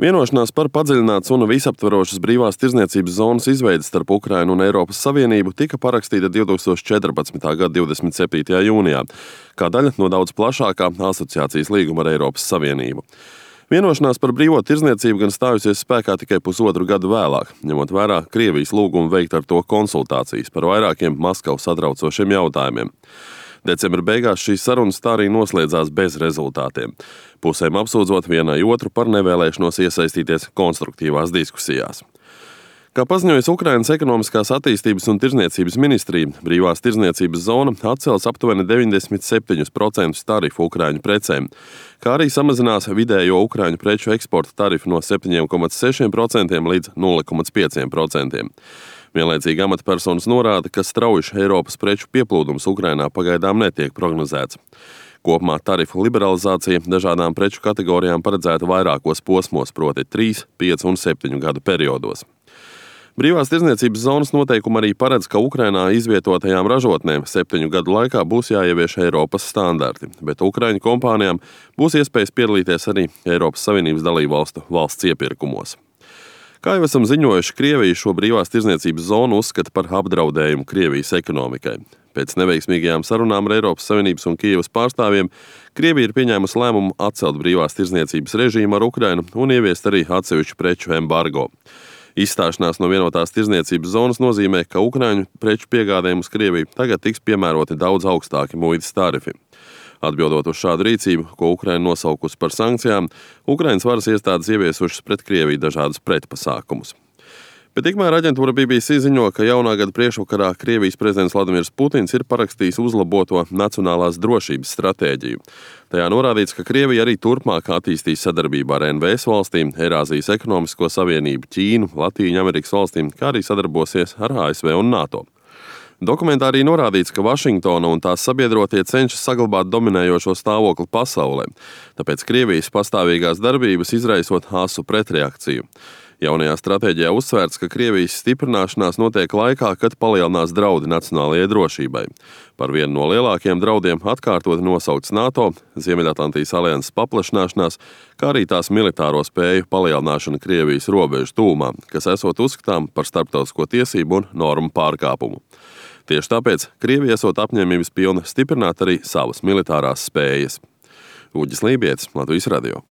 Vienošanās par padziļinātas un visaptverošas brīvās tirdzniecības zonas izveidi starp Ukrainu un Eiropas Savienību tika parakstīta 2014. gada 27. jūnijā, kā daļa no daudz plašākā asociācijas līguma ar Eiropas Savienību. Vienošanās par brīvo tirdzniecību gan stājusies spēkā tikai pusotru gadu vēlāk, ņemot vērā Krievijas lūgumu veikt ar to konsultācijas par vairākiem Maskavu satraucošiem jautājumiem. Decembra beigās šīs sarunas tā arī noslēdzās bez rezultātiem, pusēm apsūdzot vienai otru par nevēlēšanos iesaistīties konstruktīvās diskusijās. Kā paziņojas Ukrainas ekonomiskās attīstības un tirdzniecības ministrija, brīvās tirdzniecības zona atcels aptuveni 97% tarifu ukraiņu precēm, kā arī samazinās vidējo ukraiņu preču eksporta tarifu no 7,6% līdz 0,5%. Vienlaicīgi amatpersonas norāda, ka strauji Eiropas preču pieplūdums Ukrainā pagaidām netiek prognozēts. Kopumā tarifu liberalizācija dažādām preču kategorijām paredzēta vairākos posmos, proti 3, 5 un 7 gadu periodos. Brīvās tirdzniecības zonas noteikumi arī paredz, ka Ukrainā izvietotajām ražotnēm 7 gadu laikā būs jāievieš Eiropas standarti, bet Ukraiņu kompānijām būs iespējas piedalīties arī Eiropas Savienības dalībvalstu valsts iepirkumos. Kā jau esam ziņojuši, Krievija šo brīvās tirdzniecības zonu uzskata par apdraudējumu Krievijas ekonomikai. Pēc neveiksmīgajām sarunām ar Eiropas Savienības un Kijevas pārstāvjiem, Krievija ir pieņēmusi lēmumu atcelt brīvās tirdzniecības režīmu ar Ukrainu un ieviest arī atsevišķu preču embargo. Izstāšanās no vienotās tirdzniecības zonas nozīmē, ka ukraiņu preču piegādēm uz Krieviju tagad tiks piemēroti daudz augstāki muitas tarifi. Atbildot uz šādu rīcību, ko Ukraina nosaukusi par sankcijām, Ukrainas varas iestādes ieviesušas pret Krieviju dažādus pretpasākumus. Bet tikmēr aģentūra BBC ziņo, ka jaunā gada priekšvakarā Krievijas prezidents Vladimirs Putins ir parakstījis uzlaboto nacionālās drošības stratēģiju. Tajā norādīts, ka Krievija arī turpmāk attīstīs sadarbību ar NVS valstīm, Eirāzijas ekonomisko savienību, Ķīnu, Latīņu Amerikas valstīm, kā arī sadarbosies ar ASV un NATO. Dokumentā arī norādīts, ka Vašingtona un tās sabiedrotie cenšas saglabāt dominējošo stāvokli pasaulē, tāpēc Krievijas pastāvīgās darbības izraisot asu pretreakciju. Jaunajā stratēģijā uzsvērts, ka Krievijas stiprināšanās notiek laikā, kad palielinās draudi nacionālajai drošībai. Par vienu no lielākajiem draudiem atkārtoti nosaukts NATO, Ziemeļatlantijas alianses paplašināšanās, kā arī tās militāro spēju palielināšana Krievijas robežu tūmā, kas esot uzskatām par starptautisko tiesību un normu pārkāpumu. Tieši tāpēc Krievija esot apņēmības pilna stiprināt arī savas militārās spējas. Uģis Lībietis, Latvijas radio.